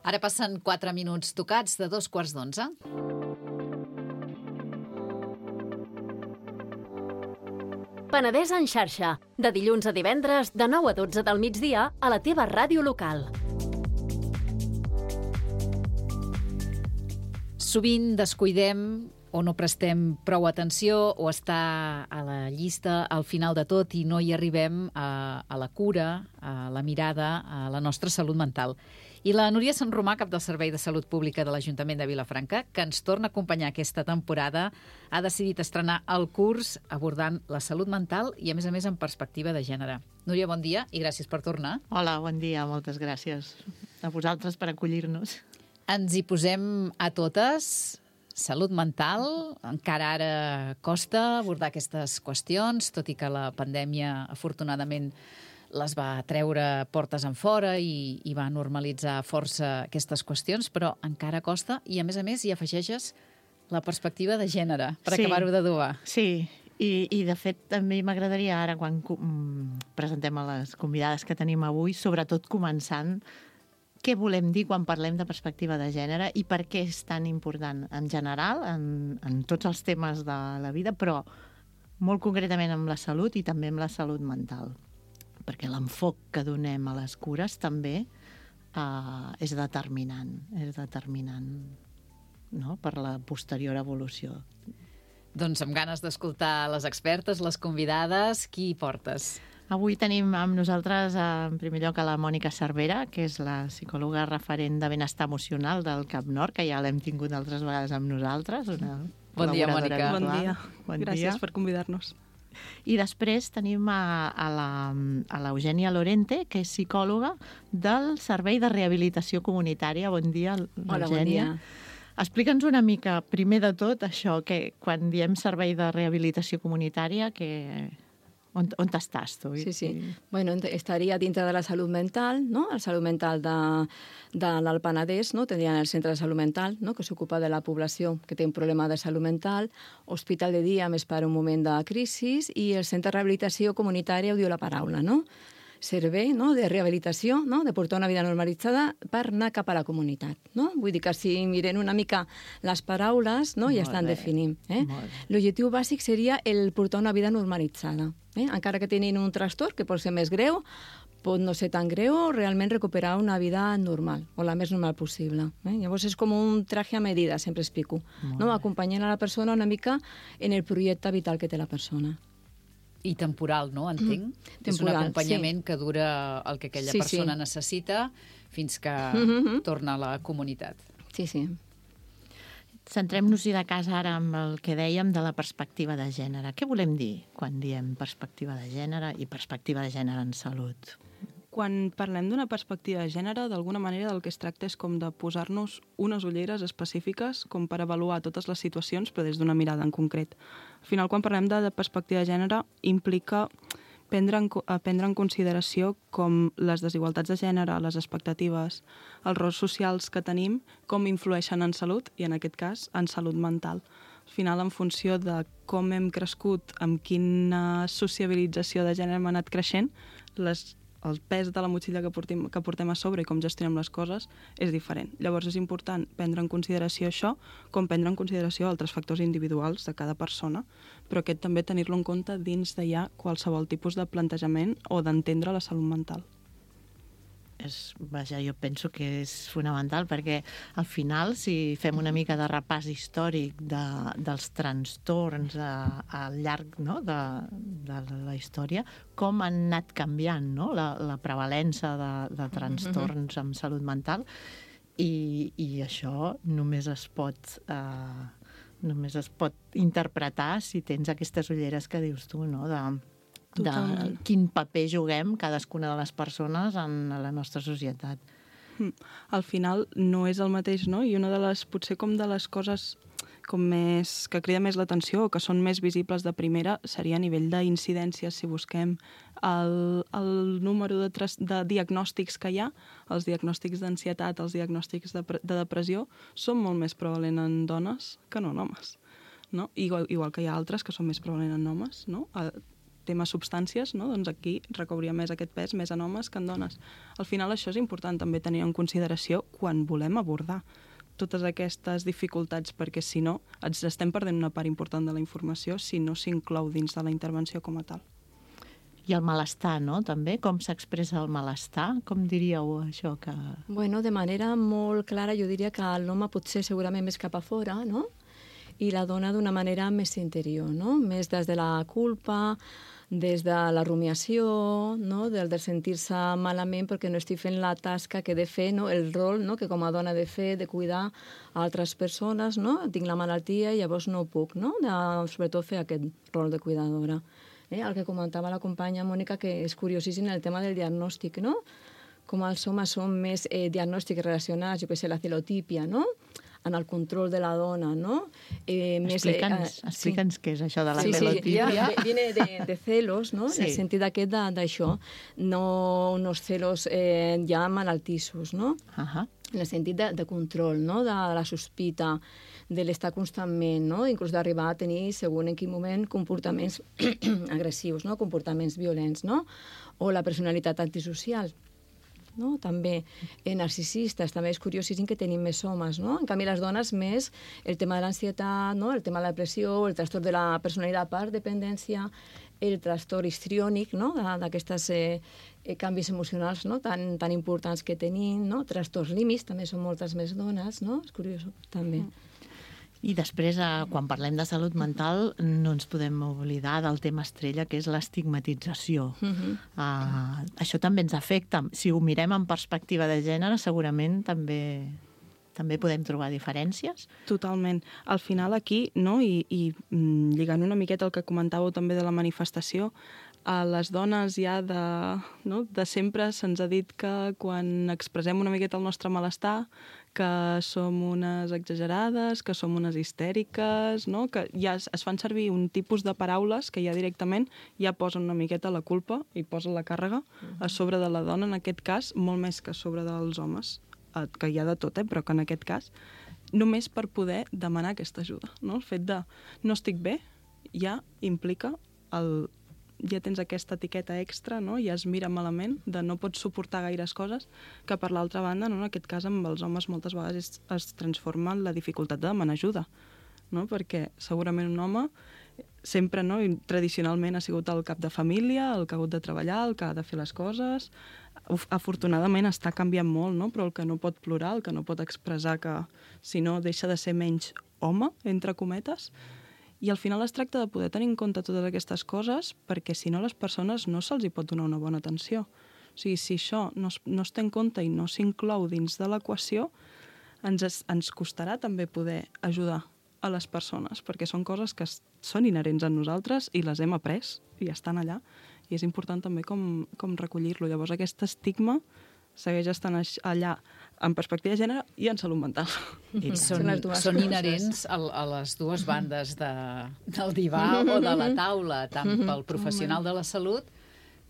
Ara passen quatre minuts tocats de dos quarts d'onze. Penedès en xarxa, de dilluns a divendres, de nou a dotze del migdia, a la teva ràdio local. Sovint descuidem o no prestem prou atenció o està a la llista al final de tot i no hi arribem a, a la cura, a la mirada, a la nostra salut mental. I la Núria Sant Romà, cap del Servei de Salut Pública de l'Ajuntament de Vilafranca, que ens torna a acompanyar aquesta temporada, ha decidit estrenar el curs abordant la salut mental i, a més a més, en perspectiva de gènere. Núria, bon dia i gràcies per tornar. Hola, bon dia, moltes gràcies a vosaltres per acollir-nos. Ens hi posem a totes. Salut mental, encara ara costa abordar aquestes qüestions, tot i que la pandèmia, afortunadament, les va treure portes en fora i, i va normalitzar força aquestes qüestions, però encara costa i, a més a més, hi afegeixes la perspectiva de gènere, per Sí. acabar-ho d'adobar. Sí, i, i de fet també m'agradaria ara, quan mm, presentem a les convidades que tenim avui, sobretot començant, què volem dir quan parlem de perspectiva de gènere i per què és tan important en general, en, en tots els temes de la vida, però molt concretament amb la salut i també amb la salut mental. Perquè l'enfoc que donem a les cures també uh, és determinant, és determinant, no?, per la posterior evolució. Doncs amb ganes d'escoltar les expertes, les convidades, qui hi portes? Avui tenim amb nosaltres, en primer lloc, a la Mònica Cervera, que és la psicòloga referent de benestar emocional del Cap Nord, que ja l'hem tingut altres vegades amb nosaltres. Una Bon dia, Mònica. Bon dia. Bon Gràcies dia. per convidar-nos. I després tenim a, a la- a l'Eugènia Lorente, que és psicòloga del Servei de Rehabilitació Comunitària. Bon dia, Hola, bon Eugènia. dia. Explica'ns una mica, primer de tot, això, que quan diem Servei de Rehabilitació Comunitària, que... on, on estàs tu? Sí, sí. Bueno, ent- estaria dintre de la salut mental, no? La salut mental de, de l'Alt Penedès, no? Tindrien el centre de salut mental, no? Que s'ocupa de la població que té un problema de salut mental, hospital de dia més per un moment de crisi i el centre de rehabilitació comunitària, ho diu la paraula, no? Servei, no?, de rehabilitació, no?, de portar una vida normalitzada per anar cap a la comunitat, no? Vull dir que si miren una mica les paraules, no?, ja Molt estan bé, definint. Eh? molt bé. L'objectiu bàsic seria el portar una vida normalitzada. Eh? Encara que tinguin un trastorn que pot ser més greu, pot no ser tan greu o realment recuperar una vida normal, o la més normal possible. Eh? Llavors és com un traje a medida, sempre explico, no? Acompanyant a la persona una mica en el projecte vital que té la persona. I temporal, no? Entenc. Mm, És un temporal, acompanyament que dura el que aquella Sí, persona sí. necessita fins que Mhm. torna a la comunitat. Sí, sí. Centrem-nos-hi de casa ara amb el que dèiem de la perspectiva de gènere. Què volem dir quan diem perspectiva de gènere i perspectiva de gènere en salut? Quan parlem d'una perspectiva de gènere, d'alguna manera del que es tracta és com de posar-nos unes ulleres específiques com per avaluar totes les situacions, però des d'una mirada en concret. Al final, quan parlem de perspectiva de gènere, implica prendre en, co- a prendre en consideració com les desigualtats de gènere, les expectatives, els rols socials que tenim, com influeixen en salut, i en aquest cas, en salut mental. Al final, en funció de com hem crescut, amb quina sociabilització de gènere hem anat creixent, les el pes de la motxilla que portem, que portem a sobre i com gestionem les coses és diferent. Llavors és important prendre en consideració això, com prendre en consideració altres factors individuals de cada persona, però aquest també tenir-lo en compte dins de ja qualsevol tipus de plantejament o d'entendre la salut mental. És, vaja, jo penso que és fonamental perquè al final, si fem una mica de repàs històric de, dels trastorns a, al llarg, no?, de, de la història, com han anat canviant, no?, la, la prevalença de, de trastorns amb salut mental, i, i això només es pot eh, només es pot interpretar si tens aquestes ulleres que dius tu, no?, de de Totalment. quin paper juguem cadascuna de les persones en la nostra societat. Mm. Al final no és el mateix, no? I una de les, potser com de les coses com més, que crida més l'atenció o que són més visibles de primera seria a nivell d'incidències, si busquem el, el número de, tras, de diagnòstics que hi ha, els diagnòstics d'ansietat, els diagnòstics de, pre- de depressió, són molt més prevalent en dones que no en homes. No? Igual, igual que hi ha altres que són més prevalent en homes, no? El tema substàncies, no? Doncs aquí recauria més aquest pes més en homes que en dones. Al final això és important també tenir en consideració quan volem abordar totes aquestes dificultats, perquè si no ens estem perdent una part important de la informació si no s'inclou dins de la intervenció com a tal. I el malestar, no?, també? Com s'expressa el malestar? Com diríeu això que... Bueno, de manera molt clara jo diria que l'home pot ser segurament més cap a fora, no? I la dona d'una manera més interior, no? Més des de la culpa, des de la rumiació, no? Del de sentir-se malament perquè no estic fent la tasca que he de fer, no? El rol, no?, que com a dona he de fer, de cuidar altres persones, no? Tinc la malaltia i llavors no puc, no? De, sobretot fer aquest rol de cuidadora. Eh? El que comentava la companya Mònica, que és curiosíssim el tema del diagnòstic, no? com els homes són més eh, diagnòstics relacionats, jo què sé, la celotípia, no?, en el control de la dona, no? Eh, Explica'ns eh, explica'ns sí. què és això de la sí, celotípia. Sí, ja, viene de, de celos, no? Sí. En el sentit aquest d'això, no uns celos eh, ja malaltissos, no? Uh -huh. En el sentit de, de control, no? De, de la sospita, de l'estar constantment, no? Inclús d'arribar a tenir, segons en quin moment, comportaments agressius, no? Comportaments violents, no? O la personalitat antisocial, no? També eh, narcisistes, també és curiosíssim que tenim més homes, no? En canvi, les dones més el tema de l'ansietat, no? El tema de la depressió, el trastorn de la personalitat per dependència, el trastorn histriònic, no? D'aquestes eh, eh, canvis emocionals, no? tan, tan importants que tenim, no? Trastorns límits, també són moltes més dones, no? És curiós, també. I després, eh, quan parlem de salut mental, no ens podem oblidar del tema estrella, que és l'estigmatització. Uh-huh. Uh, això també ens afecta. Si ho mirem en perspectiva de gènere, segurament també... també podem trobar diferències? Totalment. Al final aquí, no? I, i mm, lligant una miqueta el que comentàveu també de la manifestació, a les dones ja de, no? de sempre se'ns ha dit que quan expressem una miqueta el nostre malestar, que som unes exagerades, que som unes histèriques, no? Que ja es, es fan servir un tipus de paraules que ja directament ja posen una miqueta la culpa i posen la càrrega a sobre de la dona, en aquest cas, molt més que a sobre dels homes, que hi ha de tot, eh? Però que en aquest cas, només per poder demanar aquesta ajuda. No? El fet de no estic bé ja implica, el, ja tens aquesta etiqueta extra, no? Ja es mira malament, de no pots suportar gaires coses, que per l'altra banda, no? En aquest cas, amb els homes moltes vegades es, es transforma en la dificultat de demanar ajuda, no? Perquè segurament un home sempre, no? I tradicionalment ha sigut el cap de família, el que ha hagut de treballar, el que ha de fer les coses. Afortunadament està canviant molt, no? Però el que no pot plorar, el que no pot expressar, que si no deixa de ser menys home, entre cometes. I al final es tracta de poder tenir en compte totes aquestes coses, perquè si no les persones no se'ls hi pot donar una bona atenció. O sigui, si això no es, no es té en compte i no s'inclou dins de l'equació, ens, es, ens costarà també poder ajudar a les persones, perquè són coses que són inherents a nosaltres i les hem après i estan allà. I és important també com, com recollir-lo. Llavors aquest estigma segueix estant allà en perspectiva de gènere i en salut mental. I són, són inherents a, a les dues bandes de, del divà o de la taula, tant pel professional de la salut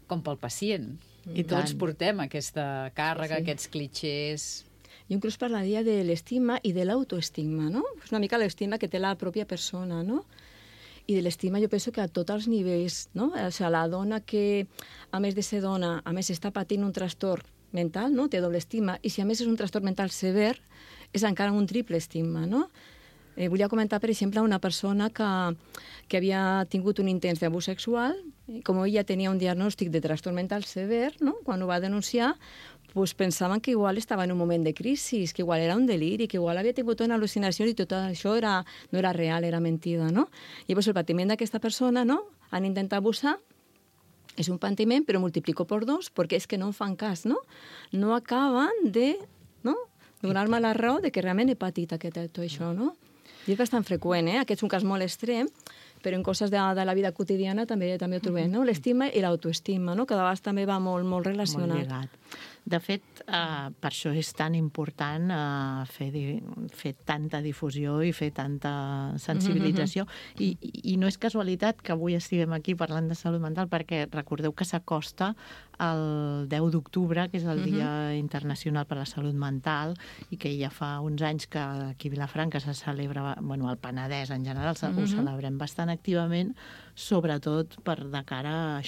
com pel pacient. I tots portem aquesta càrrega, sí. Aquests clitxers... Jo inclús parlaria de l'estima i de l'autoestima, no? És una mica l'estima que té la pròpia persona, no? I de l'estima jo penso que a tots els nivells, no? O sigui, la dona que, a més de ser dona, a més està patint un trastorn mental, no? Té doble estima, i si a més és un trastorn mental sever, és encara un triple estima, no? Eh, volia comentar, per exemple, una persona que, que havia tingut un intent d'abús sexual, com ella tenia un diagnòstic de trastorn mental sever, no? Quan ho va denunciar, pues pensaven que igual estava en un moment de crisi, que igual era un deliri, que igual havia tingut una al·lucinació i tot això era, no era real, era mentida, no? I pues, el patiment d'aquesta persona, no? Han intentat abusar, és un patiment, però multiplico per dos, perquè és que no en fan cas, no? No acaben de, no? Donar-me la raó de que realment he patit aquest, tot això, no? I és bastant freqüent, eh? Aquest és un cas molt extrem, però en coses de, de la vida quotidiana també també ho trobem, no? L'estima i l'autoestima, no? Que de vegades també va molt, molt relacionat. Molt lligat. De fet, eh, per això és tan important eh, fer, di fer tanta difusió i fer tanta sensibilització. Mm-hmm. I, I no és casualitat que avui estiguem aquí parlant de salut mental, perquè recordeu que s'acosta el deu d'octubre, que és el mm-hmm. Dia Internacional per la Salut Mental, i que ja fa uns anys que aquí a Vilafranca se celebra, bueno, al Penedès en general mm-hmm. ho celebrem bastant activament, sobretot per de cara a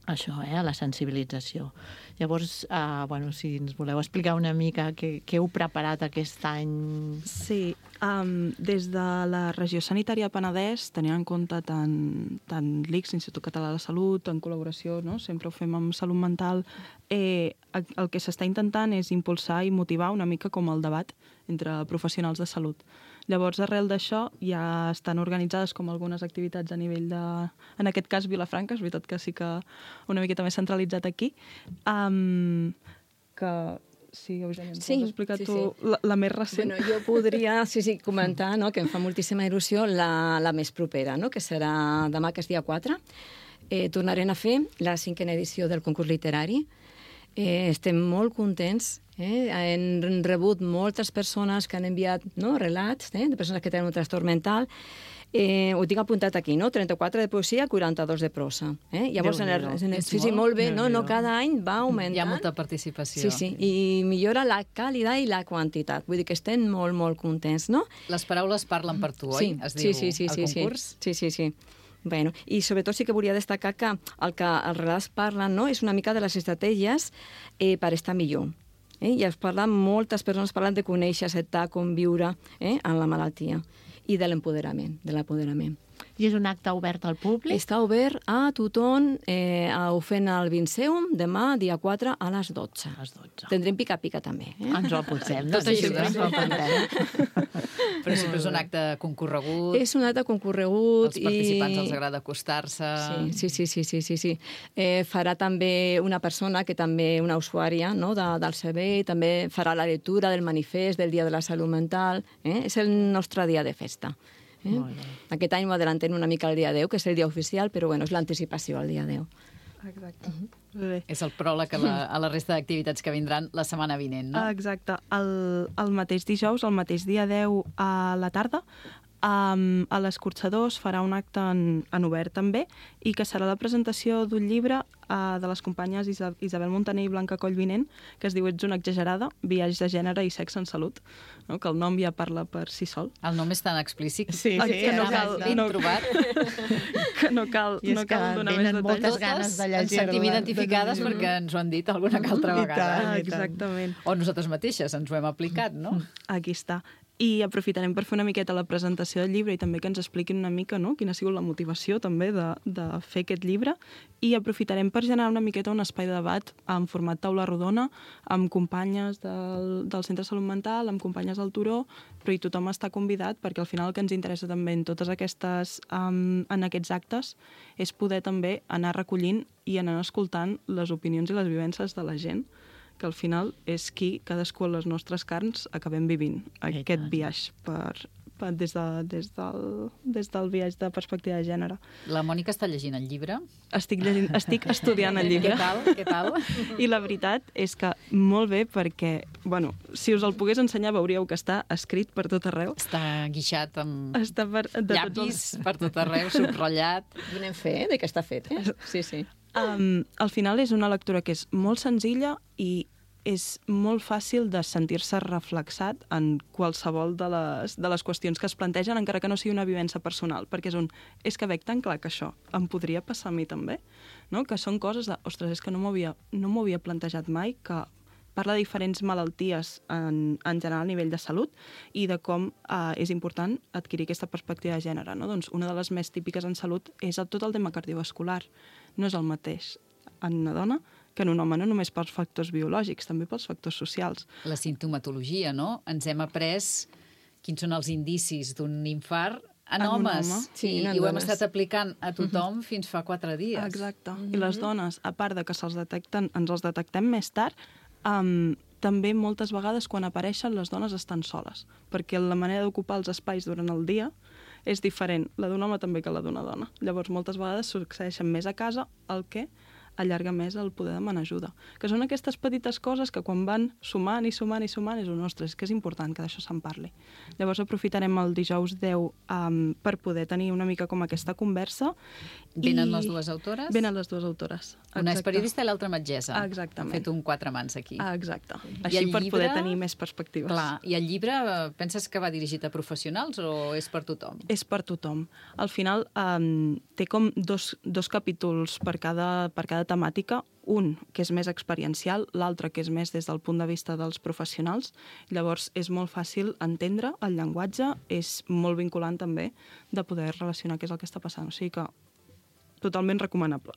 això, eh, a la sensibilització. Llavors, eh, bueno, si ens voleu explicar una mica què, què heu preparat aquest any... Sí, um, des de la regió sanitària Penedès, tenint en compte tant, tant l'I C S, l'Institut Català de la Salut, en col·laboració, no? Sempre ho fem amb salut mental, eh, el que s'està intentant és impulsar i motivar una mica com el debat entre professionals de salut. Llavors, arrel d'això, ja estan organitzades com algunes activitats a nivell de... En aquest cas, Vilafranca, és veritat que sí que una miqueta més centralitzat aquí. Um, que... Sí, Eugènia, sí, pots explicar sí, tu sí. La, la més recent? Bueno, jo podria sí, sí, comentar, no?, que em fa moltíssima il·lusió la, la més propera, no?, que serà demà, que és dia quatre. Eh, tornarem a fer la cinquena edició del concurs literari. Eh, estem molt contents. Eh? Hem rebut moltes persones que han enviat no, relats eh? de persones que tenen un trastorn mental. Eh, ho tinc apuntat aquí, no? trenta-quatre de poesia, quaranta-dos de prosa. Eh? Llavors, en el, en el, sí, sí, molt bé, no, no, cada any va augmentant. Hi ha molta participació. Sí, sí, i millora la qualitat i la quantitat. Vull dir que estem molt, molt contents, no? Les paraules parlen per tu, sí, oi? Es sí, diu sí, sí, el sí, concurs. Sí, sí, sí. Bueno, i sobretot sí que volia destacar que el que els relats parlen no, és una mica de les estratègies eh, per estar millor. Eh? I es parlen, moltes persones parlen de conèixer, acceptar, conviure eh, en la malaltia i de l'empoderament, de l'apoderament. I és un acte obert al públic? Està obert a tothom, eh, ho fem al Vinceum, demà, dia quatre, a les dotze. A les dotze. Tindrem pica-pica, també. Eh? Ens ho apuntem. Tot sí, això, sí, ens ho apuntem. Però sempre és un acte concorregut. És un acte concorregut. Els participants i... els agrada acostar-se. Sí, sí, sí, sí, sí, sí. Eh, farà també una persona que també, una usuària no, de, del servei, també farà la lectura del manifest del Dia de la Salut Mental. Eh? És el nostre dia de festa. Eh? Aquest any ho adelantem una mica al dia deu, que és el dia oficial, però bueno, és l'anticipació al dia deu. Exacte. Uh-huh. Bé. És el pròleg a la, a la resta d'activitats que vindran la setmana vinent, no? Exacte. El, el mateix dijous, el mateix dia deu a la tarda, um, a l'Escorxador farà un acte en, en obert també, i que serà la presentació d'un llibre uh, de les companyes Isa, Isabel Montaner i Blanca Collvinent, que es diu Ets una exagerada, viatge de gènere i sexe en salut, no? Que el nom ja parla per si sol. El nom és tan explícit sí, sí, que no cal, ben no, trobat. Que no cal, no cal donar més detalls. moltes ganes de llegir-la. Ens sentim identificades perquè ens ho han dit alguna que altra vegada. I tant, exactament. O nosaltres mateixes ens ho hem aplicat, no? Aquí està. I aprofitarem per fer una miqueta la presentació del llibre i també que ens expliquin una mica no? Quina ha sigut la motivació també de, de fer aquest llibre, i aprofitarem per generar una miqueta un espai de debat en format taula rodona, amb companyes del, del Centre de Salut Mental, amb companyes del Turó, però i tothom està convidat, perquè al final el que ens interessa també en totes aquestes, um, en aquests actes és poder també anar recollint i anar escoltant les opinions i les vivències de la gent, que al final és qui, cadascú a les nostres carns, acabem vivint aquest viatge per, per, des, de, des, del, des del viatge de perspectiva de gènere. La Mònica està llegint el llibre? Estic, llegint, estic estudiant el llibre. Què tal? Què tal? I la veritat és que molt bé, perquè, bueno, si us el pogués ensenyar veuríeu que està escrit per tot arreu. Està guixat amb està per, llapis els... per tot arreu, subratllat. Donem fe de que està fet, eh? Sí, sí. Um, al final és una lectura que és molt senzilla i és molt fàcil de sentir-se reflexat en qualsevol de les, de les qüestions que es plantegen, encara que no sigui una vivència personal, perquè és un, és que veig tan clar que això em podria passar a mi també, no? Que són coses de, ostres, és que no m'ho havia, no m'ho havia plantejat mai, que parla de diferents malalties en, en general a nivell de salut i de com eh, és important adquirir aquesta perspectiva de gènere. No? Doncs una de les més típiques en salut és el, tot el tema cardiovascular. No és el mateix en una dona que en un home, no només pels factors biològics, també pels factors socials. La sintomatologia, no? Ens hem après quins són els indicis d'un infart en, en homes. Home. Sí, I, en i ho hem dones. estat aplicant a tothom uh-huh. fins fa quatre dies. Exacte. Mm-hmm. I les dones, a part de que se'ls detecten, ens els detectem més tard, um, també moltes vegades quan apareixen les dones estan soles, perquè la manera d'ocupar els espais durant el dia és diferent, la d'un home també que la d'una dona. Llavors, moltes vegades succeeixen més a casa, el que allarga més el poder demanar ajuda. Que són aquestes petites coses que quan van sumant i sumant i sumant és un, ostres, que és important que d'això se'n parli. Llavors aprofitarem el dijous deu um, per poder tenir una mica com aquesta conversa. Venen i... les dues autores? Venen les dues autores. Exacte. Una és periodista i l'altra metgessa. Exactament. Ha fet un quatre mans aquí. Ah, exacte. Així per llibre... poder tenir més perspectives. Clar. I el llibre, penses que va dirigit a professionals o és per tothom? És per tothom. Al final um, té com dos, dos capítols per cada, per cada temàtica, un que és més experiencial, l'altre que és més des del punt de vista dels professionals. Llavors és molt fàcil entendre el llenguatge, és molt vinculant també de poder relacionar què és el que està passant. O sigui que totalment recomanable.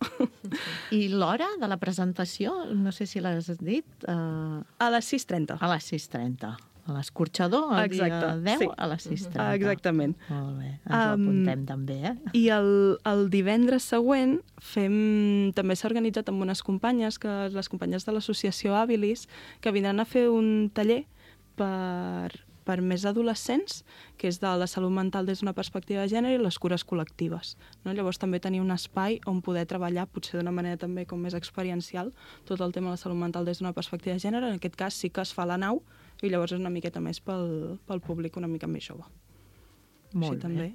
I l'hora de la presentació, no sé si l'has dit... Uh... A les sis trenta. A les sis trenta. A l'escorxador, el Exacte, dia deu, sí. a les sis trenta. Exactament. Molt bé, ens ho apuntem um, també, eh? I el, el divendres següent fem, també s'ha organitzat amb unes companyes, que les companyes de l'associació Habilis, que vindran a fer un taller per per més adolescents, que és de la salut mental des d'una perspectiva de gènere i les cures col·lectives. No? Llavors també tenir un espai on poder treballar, potser d'una manera també com més experiencial, tot el tema de la salut mental des d'una perspectiva de gènere. En aquest cas sí que es fa a la nau i llavors és una miqueta més pel, pel públic una mica més jove. Molt Així, bé. també.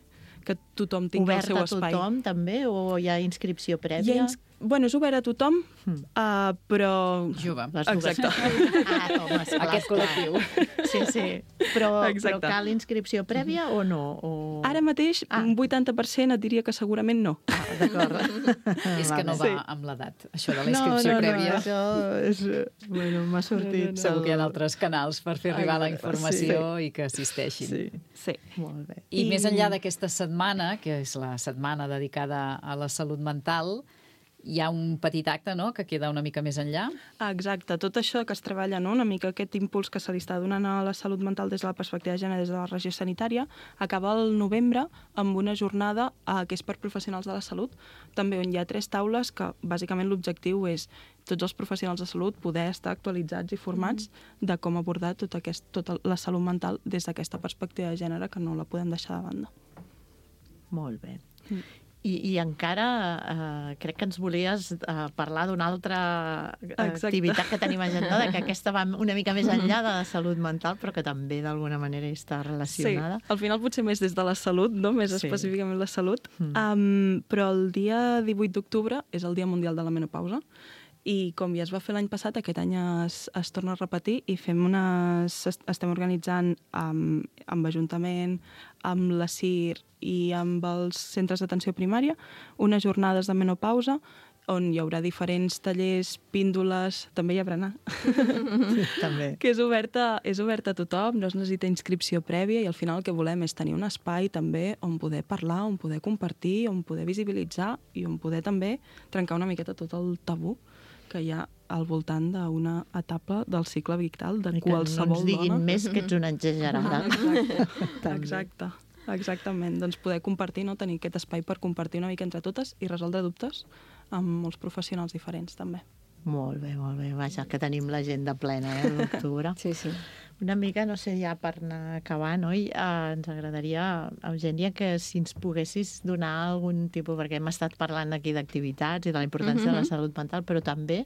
Que tothom tingui Obert el seu espai. Obert a tothom, també? O hi ha inscripció prèvia? Hi ha ins... Bueno, és obert a tothom, mm. uh, però... Jove. Exacte. Ah, home, esclar, Aquest col·lectiu. Sí, sí. Però, Exacte. però cal inscripció prèvia o no? O... Ara mateix, ah. un vuitanta per cent et diria que segurament no. Ah, d'acord. És que no va Sí. amb l'edat, això de la inscripció no, no, prèvia. No, això és... Bueno, m'ha sortit... No, no, no. Segur que hi ha d'altres canals per fer arribar la Exacte, informació sí. i que assisteixin. Sí, sí. Molt bé. I, I més enllà d'aquesta setmana, que és la setmana dedicada a la salut mental, hi ha un petit acte, no?, que queda una mica més enllà. Ah, exacte. Tot això que es treballa, no?, una mica aquest impuls que se li està donant a la salut mental des de la perspectiva de gènere, des de la regió sanitària, acaba el novembre amb una jornada eh, que és per professionals de la salut, també on hi ha tres taules que bàsicament l'objectiu és tots els professionals de salut poder estar actualitzats i formats mm. de com abordar tot aquest, tota la salut mental des d'aquesta perspectiva de gènere que no la podem deixar de banda. Molt bé. Mm. I, i encara eh, crec que ens volies eh, parlar d'una altra Exacte. activitat que tenim agendada, que aquesta va una mica més enllà de la salut mental, però que també d'alguna manera està relacionada. Sí, al final potser més des de la salut, no? Més Sí. específicament la salut. Mm. Um, però el dia divuit d'octubre és el Dia Mundial de la Menopausa i com ja es va fer l'any passat, aquest any es, es torna a repetir i fem unes, estem organitzant amb, amb Ajuntament, amb la C I R i amb els centres d'atenció primària unes jornades de menopausa on hi haurà diferents tallers, píndoles, també hi ha berenar, Sí, també. que és oberta, és oberta a tothom, no es necessita inscripció prèvia i al final el que volem és tenir un espai també on poder parlar, on poder compartir, on poder visibilitzar i on poder també trencar una miqueta tot el tabú que hi ha al voltant d'una etapa del cicle vital de I que qualsevol no ens diguin dona. més que ets una exagerada. Exacte, exacte, exactament. Doncs poder compartir, no? Tenir aquest espai per compartir una mica entre totes i resoldre dubtes amb molts professionals diferents, també. Molt bé, molt bé. Vaja, que tenim l'agenda plena, eh, l'octubre. Sí, sí. Una mica, no sé, ja per anar acabant, oi? Eh, ens agradaria, Eugènia, que si ens poguessis donar algun tipus, perquè hem estat parlant aquí d'activitats i de la importància Mhm. de la salut mental, però també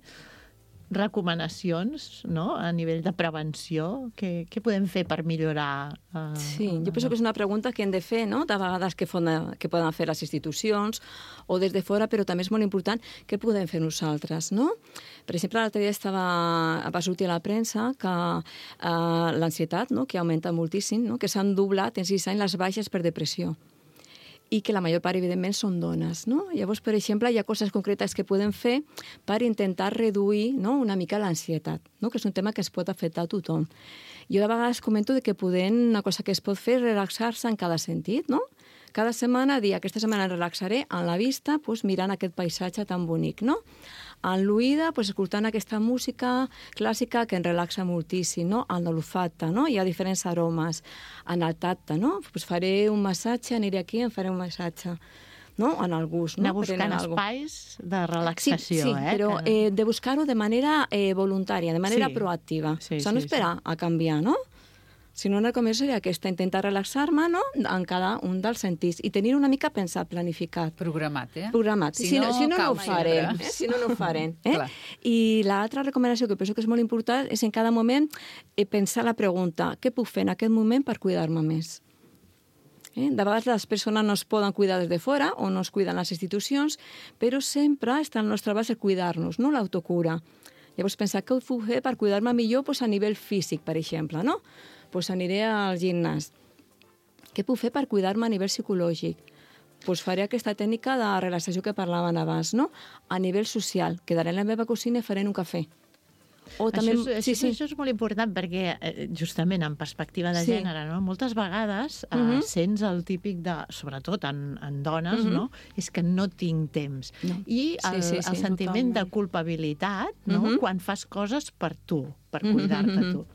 recomanacions, no?, a nivell de prevenció. Què, què podem fer per millorar? Eh, Sí, jo penso que és una pregunta que hem de fer, no?, de vegades que, fona, que poden fer les institucions o des de fora, però també és molt important què podem fer nosaltres, no? Per exemple, l'altre dia estava, va sortir a la premsa que eh, l'ansietat, no?, que augmenta moltíssim, no?, que s'han doblat en sis anys les baixes per depressió i que la major part, evidentment, són dones, no? Llavors, per exemple, hi ha coses concretes que podem fer per intentar reduir, no?, una mica l'ansietat, no?, que és un tema que es pot afectar a tothom. Jo de vegades comento de que podem, una cosa que es pot fer és relaxar-se en cada sentit, no? Cada setmana dir, aquesta setmana em relaxaré en la vista, doncs, mirant aquest paisatge tan bonic, no? En l'oïda, doncs, escoltant aquesta música clàssica que ens relaxa moltíssim, no? En l'olfacte, no? Hi ha diferents aromes. En el tacte, no? Doncs faré un massatge, aniré aquí i em faré un massatge. No? En el gust. No? Anar buscant Prenent algo. espais de relaxació, sí, sí, eh? però que... eh, de buscar-ho de manera eh, voluntària, de manera Sí. proactiva. Sí, o sigui, no sí, esperar a canviar, no? Si no, una recomendació seria aquesta, intentar relaxar-me, no?, en cada un dels sentits i tenir una mica pensat, planificat. Programat, eh? Programat. Si Si, no, no, si no, no cau ho farem. sempre. Eh? Si no, no ho farem. Eh? Clar. I l'altra recomanació que penso que és molt important és en cada moment eh, pensar la pregunta, què puc fer en aquest moment per cuidar-me més? Eh? De vegades les persones no es poden cuidar des de fora o no es cuiden les institucions, però sempre està al nostre abast el cuidar-nos, no l'autocura. Llavors pensar què ho puc fer per cuidar-me millor doncs, a nivell físic, per exemple, no? Doncs aniré al gimnàs. Què puc fer per cuidar-me a nivell psicològic? Doncs faré aquesta tècnica de relaxació que parlaven abans, no? A nivell social, quedaré en la meva cocina i faré un cafè. O també... Això, és, sí, sí. això és molt important perquè, eh, justament en perspectiva de Sí. gènere, no? Moltes vegades eh, Mhm. sents el típic de, sobretot en, en dones, Mhm. no? És que no tinc temps. No. I el, Sí, sí, sí, el sentiment totalment. de culpabilitat, no? Mhm. Quan fas coses per tu, per Mhm, cuidar-te mhm. tu.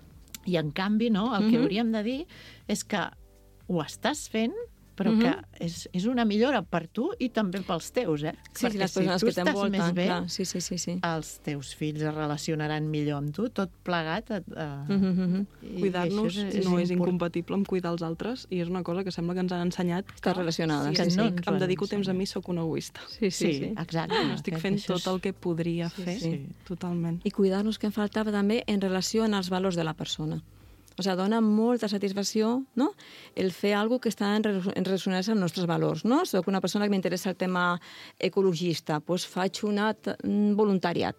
I en canvi, no? El que Mhm. hauríem de dir és que ho estàs fent però Mhm. que és, és una millora per tu i també pels teus, eh? Sí, sí, Perquè les persones si tu que estàs t'envolten, més bé, clar, sí, sí, sí, sí. els teus fills es relacionaran millor amb tu, tot plegat. Eh, Mhm, mhm. i Cuidar-nos això és- és no és import- incompatible amb cuidar els altres i és una cosa que sembla que ens han ensenyat que, relacionada, si sí, em sí. dic, No em ens ho dedico han temps a mi, sóc un egoista. Sí, sí, sí. exacte. No estic Aquest- fent això és- tot el que podria fer, sí. totalment. I cuidar-nos que em faltava també en relació amb els valors de la persona. O sigui, dona molta satisfacció, no?, el fer alguna que està en, re- en ressonància amb els nostres valors, no? Soc una persona que m'interessa el tema ecologista, doncs faig un act- un voluntariat.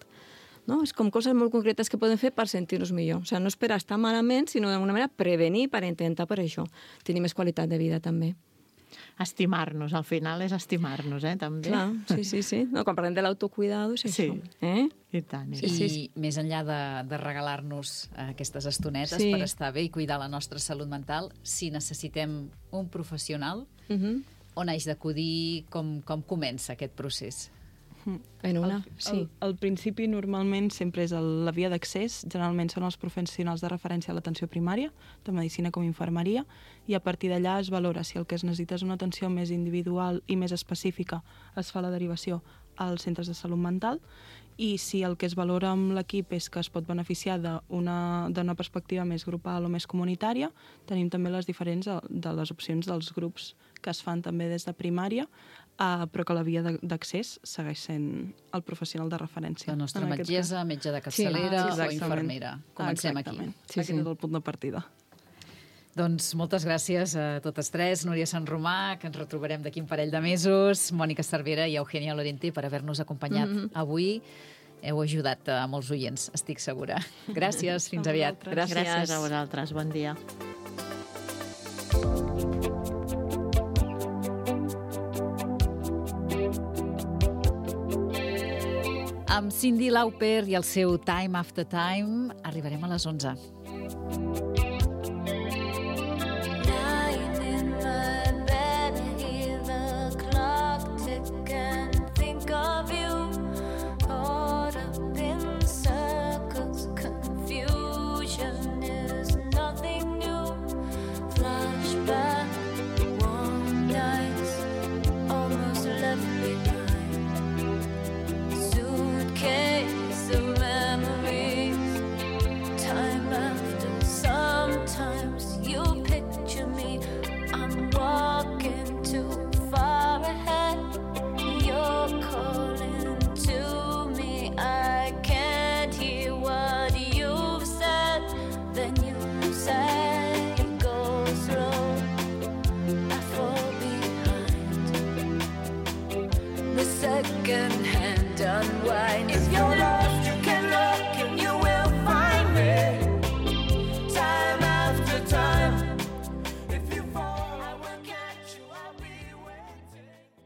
No? És com coses molt concretes que podem fer per sentir-nos millor. O sigui, no és per estar malament, sinó d'alguna manera prevenir per intentar per això tenir més qualitat de vida també. Estimar-nos, al final és estimar-nos, eh, també. Clar, sí, sí, sí. No, quan parlem de l'autocuidado és Sí. això. Eh? I tant. I, I tant. sí, sí. més enllà de, de regalar-nos eh, aquestes estonetes Sí. per estar bé i cuidar la nostra salut mental, si necessitem un professional, Mhm. on haig d'acudir, com, com comença aquest procés? En una, Al, sí. al, al principi normalment sempre és el, la via d'accés, generalment són els professionals de referència a l'atenció primària, de medicina com infermeria, i a partir d'allà es valora si el que es necessita és una atenció més individual i més específica, es fa la derivació als centres de salut mental, i si el que es valora amb l'equip és que es pot beneficiar d'una d'una perspectiva més grupal o més comunitària, tenim també les diferents de, de les opcions dels grups que es fan també des de primària, uh, però que la via de- d'accés segueix sent el professional de referència. La nostra En aquest metgessa, cas. metge de capçalera Sí, o exactament. infermera. Comencem Exactament. aquí. Sí, Aquest sí. és el punt de partida. Doncs moltes gràcies a totes tres. Núria Sant Romà, que ens retrobarem d'aquí un parell de mesos, Mònica Cervera i Eugènia Lorente per haver-nos acompanyat Mhm. avui. Heu ajudat a molts oients, estic segura. Gràcies, fins A aviat. vosaltres. Gràcies a vosaltres, bon dia. Amb Cyndi Lauper i el seu Time After Time arribarem a les onze.